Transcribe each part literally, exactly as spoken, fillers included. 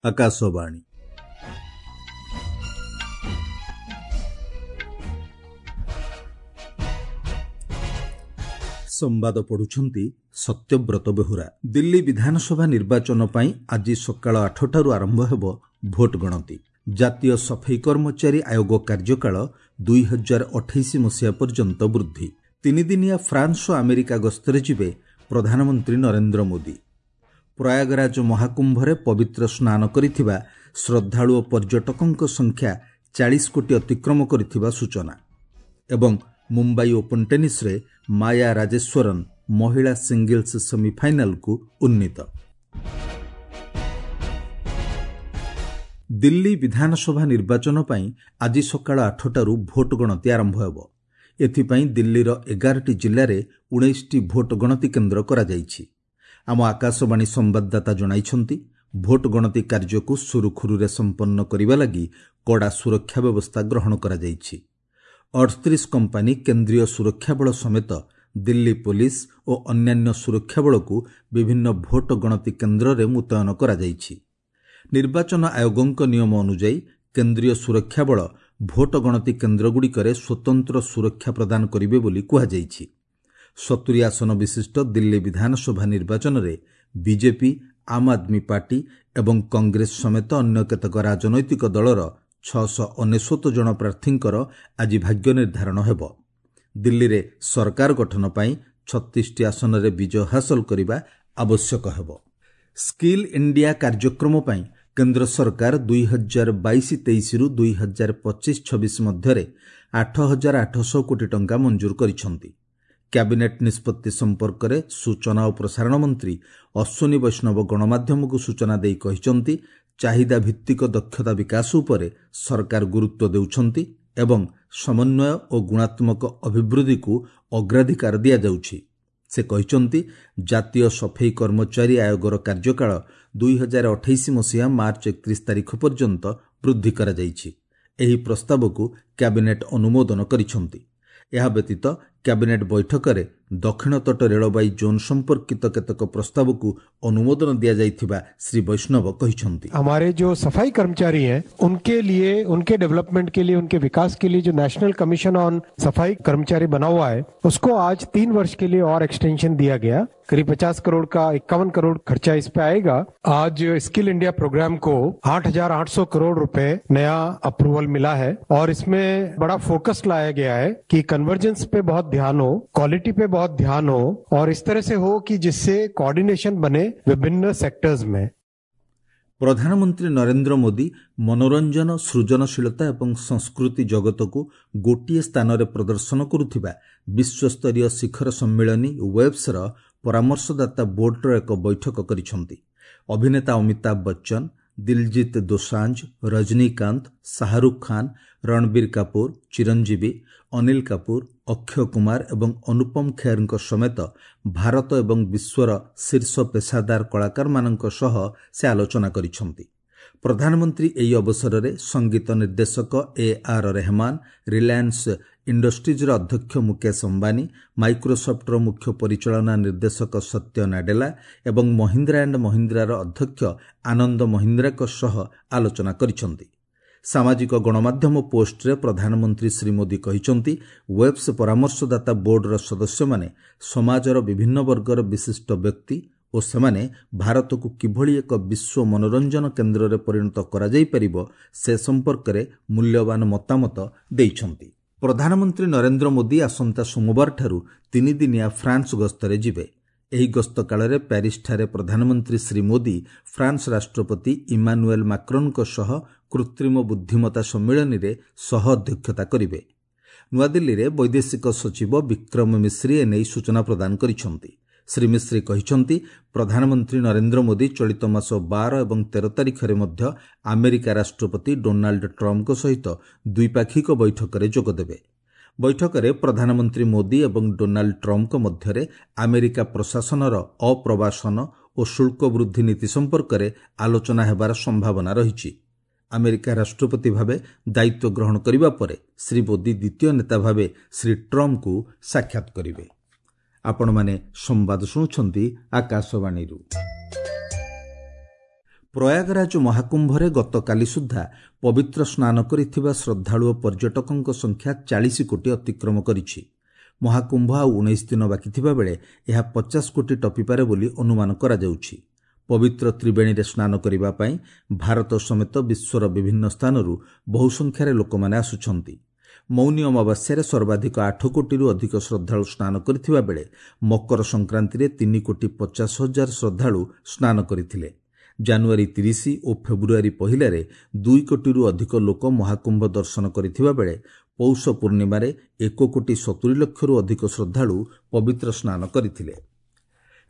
ଆକାଶବାଣୀ। ସମ୍ବାଦ ପଢୁଛନ୍ତି ସତ୍ୟବ୍ରତ ବେହୁରା। ଦିଲ୍ଲୀ ବିଧାନସଭା ନିର୍ବାଚନ ପାଇଁ ଆଜି ସକାଳ ଆଠଟାରୁ ଆରମ୍ଭ ହେବ ଭୋଟ ଗଣତି। ଜାତୀୟ ସଫେଇ କର୍ମଚାରୀ ଆୟୋଗ କାର୍ଯ୍ୟକାଳ ଦୁଇ ହଜାର ଅଠେଇଶ ମସିହା ପର୍ଯ୍ୟନ୍ତ ବୃଦ୍ଧି। ତିନିଦିନିଆ ଫ୍ରାନ୍ସ ଓ ଆମେରିକା ଗସ୍ତରେ ଯିବେ ପ୍ରଧାନମନ୍ତ୍ରୀ ନରେନ୍ଦ୍ର ମୋଦି। ପ୍ରୟାଗରାଜ ମହାକୁମ୍ଭରେ ପବିତ୍ର ସ୍ନାନ କରିଥିବା ଶ୍ରଦ୍ଧାଳୁ ଓ ପର୍ଯ୍ୟଟକଙ୍କ ସଂଖ୍ୟା ଚାଳିଶ କୋଟି ଅତିକ୍ରମ କରିଥିବା ସୂଚନା। ଏବଂ ମୁମ୍ବାଇ ଓପନ୍ ଟେନିସ୍ରେ ମାୟା ରାଜେଶ୍ୱରନ୍ ମହିଳା ସିଙ୍ଗଲ୍ସ ସେମିଫାଇନାଲକୁ ଉନ୍ନୀତ। ଦିଲ୍ଲୀ ବିଧାନସଭା ନିର୍ବାଚନ ପାଇଁ ଆଜି ସକାଳ ଆଠଟାରୁ ଭୋଟ ଗଣତି ଆରମ୍ଭ ହେବ। ଏଥିପାଇଁ ଦିଲ୍ଲୀର ଏଗାରଟି ଜିଲ୍ଲାରେ ଉଣେଇଶଟି ଭୋଟ ଗଣତି କେନ୍ଦ୍ର କରାଯାଇଛି। ଆମ ଆକାଶବାଣୀ ସମ୍ବାଦଦାତା ଜଣାଇଛନ୍ତି, ଭୋଟ ଗଣତି କାର୍ଯ୍ୟକୁ ସୁରୁଖୁରୁରେ ସମ୍ପନ୍ନ କରିବା ଲାଗି କଡ଼ା ସୁରକ୍ଷା ବ୍ୟବସ୍ଥା ଗ୍ରହଣ କରାଯାଇଛି। ଅଠତିରିଶ କମ୍ପାନୀ କେନ୍ଦ୍ରୀୟ ସୁରକ୍ଷା ବଳ ସମେତ ଦିଲ୍ଲୀ ପୋଲିସ ଓ ଅନ୍ୟାନ୍ୟ ସୁରକ୍ଷା ବଳକୁ ବିଭିନ୍ନ ଭୋଟ ଗଣତି କେନ୍ଦ୍ରରେ ମୁତୟନ କରାଯାଇଛି। ନିର୍ବାଚନ ଆୟୋଗଙ୍କ ନିୟମ ଅନୁଯାୟୀ କେନ୍ଦ୍ରୀୟ ସୁରକ୍ଷା ବଳ ଭୋଟ ଗଣତି କେନ୍ଦ୍ରଗୁଡ଼ିକରେ ସ୍ୱତନ୍ତ୍ର ସୁରକ୍ଷା ପ୍ରଦାନ କରିବେ ବୋଲି କୁହାଯାଇଛି। ସତୁରି ଆସନ ବିଶିଷ୍ଟ ଦିଲ୍ଲୀ ବିଧାନସଭା ନିର୍ବାଚନରେ ବିଜେପି, ଆମ୍ ଆଦମୀ ପାର୍ଟି ଏବଂ କଂଗ୍ରେସ ସମେତ ଅନ୍ୟ କେତେକ ରାଜନୈତିକ ଦଳର ଛଅଶହ ଅନେଶ୍ୱତ ଜଣ ପ୍ରାର୍ଥୀଙ୍କର ଆଜି ଭାଗ୍ୟ ନିର୍ଦ୍ଧାରଣ ହେବ। ଦିଲ୍ଲୀରେ ସରକାର ଗଠନ ପାଇଁ ଛତିଶଟି ଆସନରେ ବିଜୟ ହାସଲ କରିବା ଆବଶ୍ୟକ ହେବ। ସ୍କିଲ୍ ଇଣ୍ଡିଆ କାର୍ଯ୍ୟକ୍ରମ ପାଇଁ କେନ୍ଦ୍ର ସରକାର ଦୁଇ ହଜାର ବାଇଶ ତେଇଶରୁ ଦୁଇ ହଜାର ପଚିଶ ଛବିଶ ମଧ୍ୟରେ ଆଠ ହଜାର ଆଠଶହ କୋଟି ଟଙ୍କା ମଞ୍ଜୁର କରିଛନ୍ତି। କ୍ୟାବିନେଟ୍ ନିଷ୍ପତ୍ତି ସମ୍ପର୍କରେ ସୂଚନା ଓ ପ୍ରସାରଣ ମନ୍ତ୍ରୀ ଅଶ୍ୱିନୀ ବୈଷ୍ଣବ ଗଣମାଧ୍ୟମକୁ ସୂଚନା ଦେଇ କହିଛନ୍ତି, ଚାହିଦା ଭିତ୍ତିକ ଦକ୍ଷତା ବିକାଶ ଉପରେ ସରକାର ଗୁରୁତ୍ୱ ଦେଉଛନ୍ତି ଏବଂ ସମନ୍ୱୟ ଓ ଗୁଣାତ୍ମକ ଅଭିବୃଦ୍ଧିକୁ ଅଗ୍ରାଧିକାର ଦିଆଯାଉଛି। ସେ କହିଛନ୍ତି, ଜାତୀୟ ସଫେଇ କର୍ମଚାରୀ ଆୟୋଗର କାର୍ଯ୍ୟକାଳ ଦୁଇ ହଜାର ଅଠେଇଶ ମସିହା ମାର୍ଚ୍ଚ ଏକତିରିଶ ତାରିଖ ପର୍ଯ୍ୟନ୍ତ ବୃଦ୍ଧି କରାଯାଇଛି। ଏହି ପ୍ରସ୍ତାବକୁ କ୍ୟାବିନେଟ୍ ଅନୁମୋଦନ କରିଛନ୍ତି। ଏହା ବ୍ୟତୀତ କ୍ୟାବିନେଟ୍ ବୈଠକରେ ଦକ୍ଷିଣ ତଟ ରେଳବାଇ ଜୋନ୍ ସମ୍ପର୍କିତ କେତେକ ପ୍ରସ୍ତାବକୁ ଅନୁମୋଦନ ଦିଆଯାଇଥିବା ଶ୍ରୀ ବୈଷ୍ଣବ କହିଛନ୍ତି। हमारे जो सफाई कर्मचारी हैं उनके लिए, उनके डेवलपमेंट के लिए, उनके विकास के लिए जो नेशनल कमीशन ऑन सफाई कर्मचारी बना हुआ है उसको आज तीन वर्ष के लिए और एक्सटेंशन दिया गया। करीब पचास करोड़ का इक्यावन करोड़ खर्चा इस पे आएगा। आज स्किल इंडिया प्रोग्राम को आठ हजार आठ सौ करोड़ रुपए नया अप्रूवल मिला है और इसमें बड़ा फोकस लाया गया है कि कन्वर्जेंस पे बहुत ध्यान हो, क्वालिटी पे बहुत ध्यान हो और इस तरह से हो कि जिससे कोऑर्डिनेशन बने विभिन्न सेक्टर्स में। ପ୍ରଧାନମନ୍ତ୍ରୀ ନରେନ୍ଦ୍ର ମୋଦି ମନୋରଞ୍ଜନ, ସୃଜନଶୀଳତା ଏବଂ ସଂସ୍କୃତି ଜଗତକୁ ଗୋଟିଏ ସ୍ଥାନରେ ପ୍ରଦର୍ଶନ କରୁଥିବା ବିଶ୍ୱସ୍ତରୀୟ ଶିଖର ସମ୍ମିଳନୀ ୱେବ୍ସର ପରାମର୍ଶଦାତା ବୋର୍ଡର ଏକ ବୈଠକ କରିଛନ୍ତି। ଅଭିନେତା ଅମିତାଭ ବଚ୍ଚନ, ଦିଲଜିତ ଦୋସାଞ୍ଜ, ରଜନୀକାନ୍ତ, ଶାହରୁଖ ଖାନ, ରଣବୀର କାପୁର, ଚିରଞ୍ଜୀବୀ, ଅନିଲ କାପୁର, ଅକ୍ଷୟ କୁମାର ଏବଂ ଅନୁପମ ଖେରଙ୍କ ସମେତ ଭାରତ ଏବଂ ବିଶ୍ୱର ଶୀର୍ଷ ପେସାଦାର କଳାକାରମାନଙ୍କ ସହ ସେ ଆଲୋଚନା କରିଛନ୍ତି। ପ୍ରଧାନମନ୍ତ୍ରୀ ଏହି ଅବସରରେ ସଙ୍ଗୀତ ନିର୍ଦ୍ଦେଶକ ଏ ଆର୍ ରେହମାନ, ରିଲାଏନ୍ସ ଇଣ୍ଡଷ୍ଟ୍ରିଜ୍ର ଅଧ୍ୟକ୍ଷ ମୁକେଶ ଅମ୍ବାନୀ, ମାଇକ୍ରୋସଫ୍ଟର ମୁଖ୍ୟ ପରିଚାଳନା ନିର୍ଦ୍ଦେଶକ ସତ୍ୟ ନାଡେଲା ଏବଂ ମହିନ୍ଦ୍ରା ଆଣ୍ଡ ମହିନ୍ଦ୍ରାର ଅଧ୍ୟକ୍ଷ ଆନନ୍ଦ ମହିନ୍ଦ୍ରାଙ୍କ ସହ ଆଲୋଚନା କରିଛନ୍ତି। ସାମାଜିକ ଗଣମାଧ୍ୟମ ପୋଷ୍ଟରେ ପ୍ରଧାନମନ୍ତ୍ରୀ ଶ୍ରୀ ମୋଦି କହିଛନ୍ତି, ୱେବ୍ସ ପରାମର୍ଶଦାତା ବୋର୍ଡର ସଦସ୍ୟମାନେ ସମାଜର ବିଭିନ୍ନ ବର୍ଗର ବିଶିଷ୍ଟ ବ୍ୟକ୍ତି ଓ ସେମାନେ ଭାରତକୁ କିଭଳି ଏକ ବିଶ୍ୱ ମନୋରଞ୍ଜନ କେନ୍ଦ୍ରରେ ପରିଣତ କରାଯାଇପାରିବ ସେ ସମ୍ପର୍କରେ ମୂଲ୍ୟବାନ ମତାମତ ଦେଇଛନ୍ତି। ପ୍ରଧାନମନ୍ତ୍ରୀ ନରେନ୍ଦ୍ର ମୋଦି ଆସନ୍ତା ସୋମବାରଠାରୁ ତିନିଦିନିଆ ଫ୍ରାନ୍ସ ଗସ୍ତରେ ଯିବେ। ଏହି ଗସ୍ତ କାଳରେ ପ୍ୟାରିସଠାରେ ପ୍ରଧାନମନ୍ତ୍ରୀ ଶ୍ରୀ ମୋଦି ଫ୍ରାନ୍ସ ରାଷ୍ଟ୍ରପତି ଇମାନୁଏଲ୍ ମାକ୍ରନ୍ଙ୍କ ସହ କୃତ୍ରିମ ବୁଦ୍ଧିମତ୍ତା ସମ୍ମିଳନୀରେ ସହ ଅଧ୍ୟକ୍ଷତା କରିବେ। ନୂଆଦିଲ୍ଲୀରେ ବୈଦେଶିକ ସଚିବ ବିକ୍ରମ ମିଶ୍ରି ଏନେଇ ସୂଚନା ପ୍ରଦାନ କରିଛନ୍ତି। ଶ୍ରୀ ମିଶ୍ରି କହିଛନ୍ତି, ପ୍ରଧାନମନ୍ତ୍ରୀ ନରେନ୍ଦ୍ର ମୋଦି ଚଳିତ ମାସ ବାର ଏବଂ ତେର ତାରିଖରେ ମଧ୍ୟ ଆମେରିକା ରାଷ୍ଟ୍ରପତି ଡୋନାଲ୍ଡ ଟ୍ରମ୍ପଙ୍କ ସହିତ ଦ୍ୱିପାକ୍ଷିକ ବୈଠକରେ ଯୋଗଦେବେ। ବୈଠକରେ ପ୍ରଧାନମନ୍ତ୍ରୀ ମୋଦି ଏବଂ ଡୋନାଲ୍ଡ ଟ୍ରମ୍ପଙ୍କ ମଧ୍ୟରେ ଆମେରିକା ପ୍ରଶାସନର ଅପ୍ରବାସନ ଓ ଶୁଳ୍କ ବୃଦ୍ଧି ନୀତି ସମ୍ପର୍କରେ ଆଲୋଚନା ହେବାର ସମ୍ଭାବନା ରହିଛି। ଆମେରିକା ରାଷ୍ଟ୍ରପତି ଭାବେ ଦାୟିତ୍ୱ ଗ୍ରହଣ କରିବା ପରେ ଶ୍ରୀ ମୋଦି ଦ୍ୱିତୀୟ ନେତା ଭାବେ ଶ୍ରୀ ଟ୍ରମ୍ପଙ୍କୁ ସାକ୍ଷାତ କରିବେ। ଆପଣମାନେ ସମ୍ବାଦ ଶୁଣୁଛନ୍ତି ଆକାଶବାଣୀରୁ। ପ୍ରୟାଗରାଜ ମହାକୁମ୍ଭରେ ଗତକାଲି ସୁଦ୍ଧା ପବିତ୍ର ସ୍ନାନ କରିଥିବା ଶ୍ରଦ୍ଧାଳୁ ଓ ପର୍ଯ୍ୟଟକଙ୍କ ସଂଖ୍ୟା ଚାଳିଶ କୋଟି ଅତିକ୍ରମ କରିଛି। ମହାକୁମ୍ଭ ଆଉ ଉଣେଇଶ ଦିନ ବାକି ଥିବାବେଳେ ଏହା ପଚାଶ କୋଟି ଟପିପାରେ ବୋଲି ଅନୁମାନ କରାଯାଉଛି। ପବିତ୍ର ତ୍ରିବେଣୀରେ ସ୍ନାନ କରିବା ପାଇଁ ଭାରତ ସମେତ ବିଶ୍ୱର ବିଭିନ୍ନ ସ୍ଥାନରୁ ବହୁ ସଂଖ୍ୟାରେ ଲୋକମାନେ ଆସୁଛନ୍ତି। ମୌନି ଅମାବାସ୍ୟାରେ ସର୍ବାଧିକ ଆଠ କୋଟିରୁ ଅଧିକ ଶ୍ରଦ୍ଧାଳୁ ସ୍ନାନ କରିଥିବା ବେଳେ ମକର ସଂକ୍ରାନ୍ତିରେ ତିନି କୋଟି ପଚାଶ ହଜାର ଶ୍ରଦ୍ଧାଳୁ ସ୍ନାନ କରିଥିଲେ। ଜାନୁଆରୀ ତିରିଶ ଓ ଫେବୃଆରୀ ପହିଲାରେ ଦୁଇ କୋଟିରୁ ଅଧିକ ଲୋକ ମହାକୁମ୍ଭ ଦର୍ଶନ କରିଥିବା ବେଳେ ପୌଷ ପୂର୍ଣ୍ଣିମାରେ ଏକ କୋଟି ସତୁରି ଲକ୍ଷରୁ ଅଧିକ ଶ୍ରଦ୍ଧାଳୁ ପବିତ୍ର ସ୍ନାନ କରିଥିଲେ।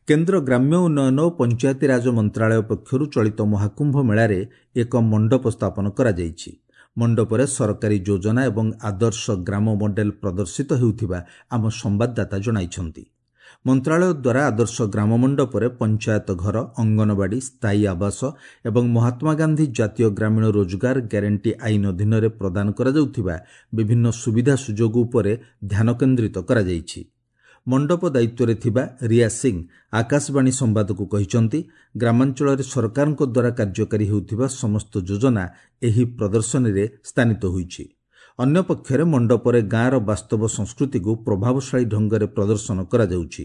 କେନ୍ଦ୍ର ଗ୍ରାମ୍ୟ ଉନ୍ନୟନ ଓ ପଞ୍ଚାୟତିରାଜ ମନ୍ତ୍ରାଳୟ ପକ୍ଷରୁ ଚଳିତ ମହାକୁମ୍ଭ ମେଳାରେ ଏକ ମଣ୍ଡପ ସ୍ଥାପନ କରାଯାଇଛି। ମଣ୍ଡପରେ ସରକାରୀ ଯୋଜନା ଏବଂ ଆଦର୍ଶ ଗ୍ରାମ ମଡେଲ ପ୍ରଦର୍ଶିତ ହେଉଥିବା ଆମ ସମ୍ବାଦଦାତା ଜଣାଇଛନ୍ତି। ମନ୍ତ୍ରାଳୟ ଦ୍ୱାରା ଆଦର୍ଶ ଗ୍ରାମ ମଣ୍ଡପରେ ପଞ୍ଚାୟତ ଘର, ଅଙ୍ଗନବାଡ଼ି, ସ୍ଥାୟୀ ଆବାସ ଏବଂ ମହାତ୍ମା ଗାନ୍ଧୀ ଜାତୀୟ ଗ୍ରାମୀଣ ରୋଜଗାର ଗ୍ୟାରେଣ୍ଟି ଆଇନ ଅଧୀନରେ ପ୍ରଦାନ କରାଯାଉଥିବା ବିଭିନ୍ନ ସୁବିଧା ସୁଯୋଗ ଉପରେ ଧ୍ୟାନ କେନ୍ଦ୍ରିତ କରାଯାଇଛି। ମଣ୍ଡପ ଦାୟିତ୍ୱରେ ଥିବା ରିୟା ସିଂ ଆକାଶବାଣୀ ସମ୍ବାଦକୁ କହିଛନ୍ତି, ଗ୍ରାମାଞ୍ଚଳରେ ସରକାରଙ୍କ ଦ୍ୱାରା କାର୍ଯ୍ୟକାରୀ ହେଉଥିବା ସମସ୍ତ ଯୋଜନା ଏହି ପ୍ରଦର୍ଶନୀରେ ସ୍ଥାନିତ ହୋଇଛି। ଅନ୍ୟପକ୍ଷରେ ମଣ୍ଡପରେ ଗାଁର ବାସ୍ତବ ସଂସ୍କୃତିକୁ ପ୍ରଭାବଶାଳୀ ଢଙ୍ଗରେ ପ୍ରଦର୍ଶନ କରାଯାଉଛି।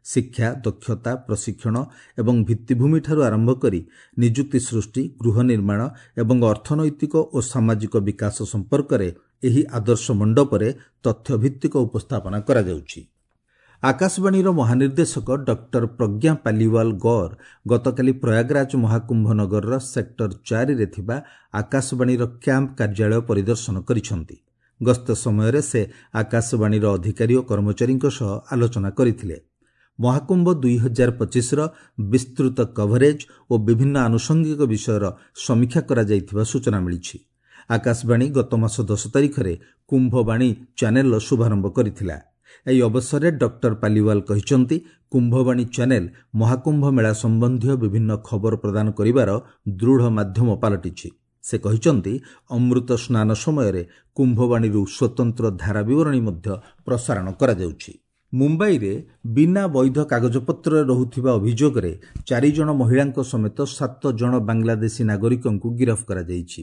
ଶିକ୍ଷା, ଦକ୍ଷତା, ପ୍ରଶିକ୍ଷଣ ଏବଂ ଭିତ୍ତିଭୂମିଠାରୁ ଆରମ୍ଭ କରି ନିଯୁକ୍ତି ସୃଷ୍ଟି, ଗୃହ ନିର୍ମାଣ ଏବଂ ଅର୍ଥନୈତିକ ଓ ସାମାଜିକ ବିକାଶ ସମ୍ପର୍କରେ ଏହି ଆଦର୍ଶ ମଣ୍ଡପରେ ତଥ୍ୟଭିତ୍ତିକ ଉପସ୍ଥାପନା କରାଯାଉଛି। ଆକାଶବାଣୀର ମହାନିର୍ଦ୍ଦେଶକ ଡକ୍ଟର ପ୍ରଜ୍ଞା ପାଲିୱାଲ ଗୌର ଗତକାଲି ପ୍ରୟାଗରାଜ ମହାକୁମ୍ଭ ନଗରର ସେକ୍ଟର ଚାରିରେ ଥିବା ଆକାଶବାଣୀର କ୍ୟାମ୍ପ କାର୍ଯ୍ୟାଳୟ ପରିଦର୍ଶନ କରିଛନ୍ତି। ଗସ୍ତ ସମୟରେ ସେ ଆକାଶବାଣୀର ଅଧିକାରୀ ଓ କର୍ମଚାରୀଙ୍କ ସହ ଆଲୋଚନା କରିଥିଲେ। ମହାକୁମ୍ଭ ଦୁଇ ହଜାର ପଚିଶର ବିସ୍ତୃତ କଭରେଜ ଓ ବିଭିନ୍ନ ଆନୁଷଙ୍ଗିକ ବିଷୟର ସମୀକ୍ଷା କରାଯାଇଥିବା ସୂଚନା ମିଳିଛି। ଆକାଶବାଣୀ ଗତ ମାସ ଦଶ ତାରିଖରେ କୁମ୍ଭବାଣୀ ଚ୍ୟାନେଲର ଶୁଭାରମ୍ଭ କରିଥିଲା। ଏହି ଅବସରରେ ଡକ୍ଟର ପାଲିୱାଲ କହିଛନ୍ତି, କୁମ୍ଭବାଣୀ ଚ୍ୟାନେଲ ମହାକୁମ୍ଭ ମେଳା ସମ୍ବନ୍ଧୀୟ ବିଭିନ୍ନ ଖବର ପ୍ରଦାନ କରିବାର ଦୃଢ଼ ମାଧ୍ୟମ ପାଲଟିଛି। ସେ କହିଛନ୍ତି, ଅମୃତ ସ୍ନାନ ସମୟରେ କୁମ୍ଭବାଣୀରୁ ସ୍ୱତନ୍ତ୍ର ଧାରା ବିବରଣୀ ମଧ୍ୟ ପ୍ରସାରଣ କରାଯାଉଛି। ମୁମ୍ବାଇରେ ବିନା ବୈଧ କାଗଜପତ୍ରରେ ରହୁଥିବା ଅଭିଯୋଗରେ ଚାରିଜଣ ମହିଳାଙ୍କ ସମେତ ସାତ ଜଣ ବାଂଲାଦେଶୀ ନାଗରିକଙ୍କୁ ଗିରଫ କରାଯାଇଛି।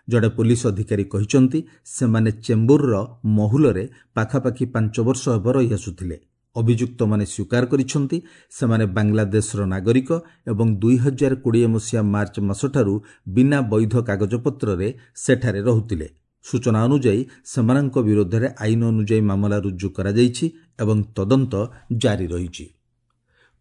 ଜଣେ ପୋଲିସ ଅଧିକାରୀ କହିଛନ୍ତି, ସେମାନେ ଚେମ୍ବୁରର ମହୁଲରେ ପାଖାପାଖି ପାଞ୍ଚ ବର୍ଷ ହେବ ରହିଆସୁଥିଲେ। ଅଭିଯୁକ୍ତମାନେ ସ୍ୱୀକାର କରିଛନ୍ତି, ସେମାନେ ବାଂଲାଦେଶର ନାଗରିକ ଏବଂ ଦୁଇ ହଜାର କୋଡ଼ିଏ ମସିହା ମାର୍ଚ୍ଚ ମାସଠାରୁ ବିନା ବୈଧ କାଗଜପତ୍ରରେ ସେଠାରେ ରହୁଥିଲେ। ସୂଚନା ଅନୁଯାୟୀ, ସେମାନଙ୍କ ବିରୋଧରେ ଆଇନ ଅନୁଯାୟୀ ମାମଲା ରୁଜୁ କରାଯାଇଛି ଏବଂ ତଦନ୍ତ ଜାରି ରହିଛି।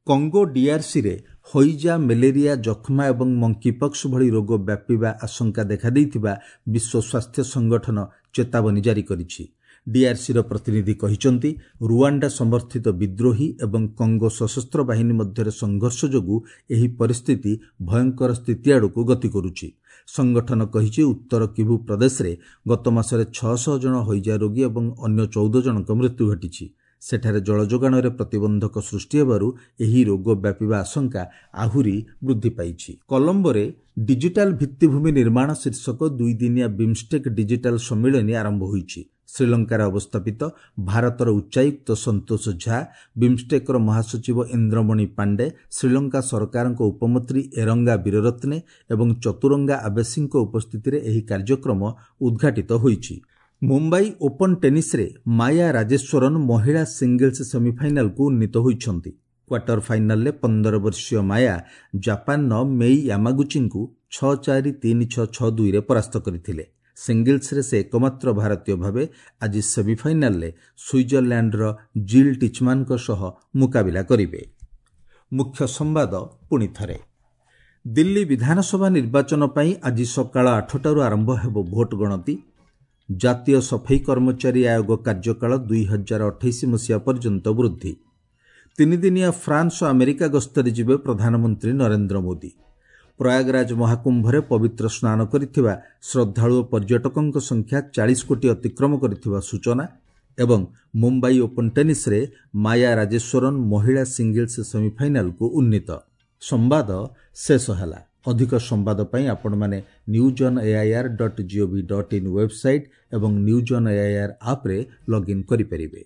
କଙ୍ଗୋ ଡିଆର୍ସିରେ ହଇଜା, ମ୍ୟାଲେରିଆ, ଯକ୍ଷ୍ମା ଏବଂ ମଙ୍କିପକ୍ସ ଭଳି ରୋଗ ବ୍ୟାପିବା ଆଶଙ୍କା ଦେଖାଦେଇଥିବା ବିଶ୍ୱ ସ୍ୱାସ୍ଥ୍ୟ ସଂଗଠନ ଚେତାବନୀ ଜାରି କରିଛି। ଡିଆର୍ସିର ପ୍ରତିନିଧି କହିଛନ୍ତି, ରୁଆଣ୍ଡା ସମର୍ଥିତ ବିଦ୍ରୋହୀ ଏବଂ କଙ୍ଗୋ ସଶସ୍ତ୍ର ବାହିନୀ ମଧ୍ୟରେ ସଂଘର୍ଷ ଯୋଗୁଁ ଏହି ପରିସ୍ଥିତି ଭୟଙ୍କର ସ୍ଥିତି ଆଡ଼କୁ ଗତି କରୁଛି। ସଂଗଠନ କହିଛି, ଉତ୍ତର କିଭୁ ପ୍ରଦେଶରେ ଗତ ମାସରେ ଛଅଶହ ଜଣ ହଇଜା ରୋଗୀ ଏବଂ ଅନ୍ୟ ଚଉଦ ଜଣଙ୍କ ମୃତ୍ୟୁ ଘଟିଛି। ସେଠାରେ ଜଳଯୋଗାଣରେ ପ୍ରତିବନ୍ଧକ ସୃଷ୍ଟି ହେବାରୁ ଏହି ରୋଗ ବ୍ୟାପିବା ଆଶଙ୍କା ଆହୁରି ବୃଦ୍ଧି ପାଇଛି। କଲମ୍ବୋରେ ଡିଜିଟାଲ ଭିତ୍ତିଭୂମି ନିର୍ମାଣ ଶୀର୍ଷକ ଦୁଇଦିନିଆ ବିମ୍ଷ୍ଟେକ୍ ଡିଜିଟାଲ ସମ୍ମିଳନୀ ଆରମ୍ଭ ହୋଇଛି। ଶ୍ରୀଲଙ୍କାରେ ଅବସ୍ଥାପିତ ଭାରତର ଉଚ୍ଚାୟୁକ୍ତ ସନ୍ତୋଷ ଝା, ବିମ୍ଷ୍ଟେକ୍ର ମହାସଚିବ ଇନ୍ଦ୍ରମଣି ପାଣ୍ଡେ, ଶ୍ରୀଲଙ୍କା ସରକାରଙ୍କ ଉପମନ୍ତ୍ରୀ ଏରଙ୍ଗା ବୀରରତ୍ନେ ଏବଂ ଚତୁରଙ୍ଗା ଆବେସିଙ୍କ ଉପସ୍ଥିତିରେ ଏହି କାର୍ଯ୍ୟକ୍ରମ ଉଦ୍ଘାଟିତ ହୋଇଛି। ମୁମ୍ବାଇ ଓପନ୍ ଟେନିସ୍ରେ ମାୟା ରାଜେଶ୍ୱରନ୍ ମହିଳା ସିଙ୍ଗଲ୍ସ ସେମିଫାଇନାଲକୁ ଉନ୍ନୀତ ହୋଇଛନ୍ତି। କ୍ୱାର୍ଟର ଫାଇନାଲରେ ପନ୍ଦର ବର୍ଷୀୟ ମାୟା ଜାପାନର ମେଇ ୟାମାଗୁଚିଙ୍କୁ ଛଅ ଚାରି ତିନି ଛଅ ଛଅ ଦୁଇରେ ପରାସ୍ତ କରିଥିଲେ। ସିଙ୍ଗଲ୍ସରେ ସେ ଏକମାତ୍ର ଭାରତୀୟ ଭାବେ ଆଜି ସେମିଫାଇନାଲରେ ସୁଇଜରଲ୍ୟାଣ୍ଡର ଜିଲ୍ ଟିଚମାନ୍ଙ୍କ ସହ ମୁକାବିଲା କରିବେ। ମୁଖ୍ୟ ସମ୍ବାଦ ପୁଣି ଥରେ, ଦିଲ୍ଲୀ ବିଧାନସଭା ନିର୍ବାଚନ ପାଇଁ ଆଜି ସକାଳ ଆଠଟାରୁ ଆରମ୍ଭ ହେବ ଭୋଟ ଗଣତି। ଜାତୀୟ ସଫେଇ କର୍ମଚାରୀ ଆୟୋଗ କାର୍ଯ୍ୟକାଳ ଦୁଇ ହଜାର ଅଠେଇଶ ମସିହା ପର୍ଯ୍ୟନ୍ତ ବୃଦ୍ଧି। ତିନିଦିନିଆ ଫ୍ରାନ୍ସ ଓ ଆମେରିକା ଗସ୍ତରେ ଯିବେ ପ୍ରଧାନମନ୍ତ୍ରୀ ନରେନ୍ଦ୍ର ମୋଦି। ପ୍ରୟାଗରାଜ ମହାକୁମ୍ଭରେ ପବିତ୍ର ସ୍ନାନ କରିଥିବା ଶ୍ରଦ୍ଧାଳୁ ଓ ପର୍ଯ୍ୟଟକଙ୍କ ସଂଖ୍ୟା ଚାଳିଶ କୋଟି ଅତିକ୍ରମ କରିଥିବା ସୂଚନା। ଏବଂ ମୁମ୍ବାଇ ଓପନ୍ ଟେନିସ୍ରେ ମାୟା ରାଜେଶ୍ୱରନ୍ ମହିଳା ସିଙ୍ଗଲ୍ସ ସେମିଫାଇନାଲକୁ ଉନ୍ନୀତ। ସମ୍ବାଦ ଶେଷ ହେଲା। ଅଧିକ ସମ୍ବାଦ ପାଇଁ ଆପଣମାନେ news on AIR dot gov dot in website ଏବଂ ନ୍ୟୁଜ୍ ଅନ୍ ଏଆଇଆର୍ ଆପ୍ରେ ଲଗ୍ଇନ୍ କରିପାରିବେ।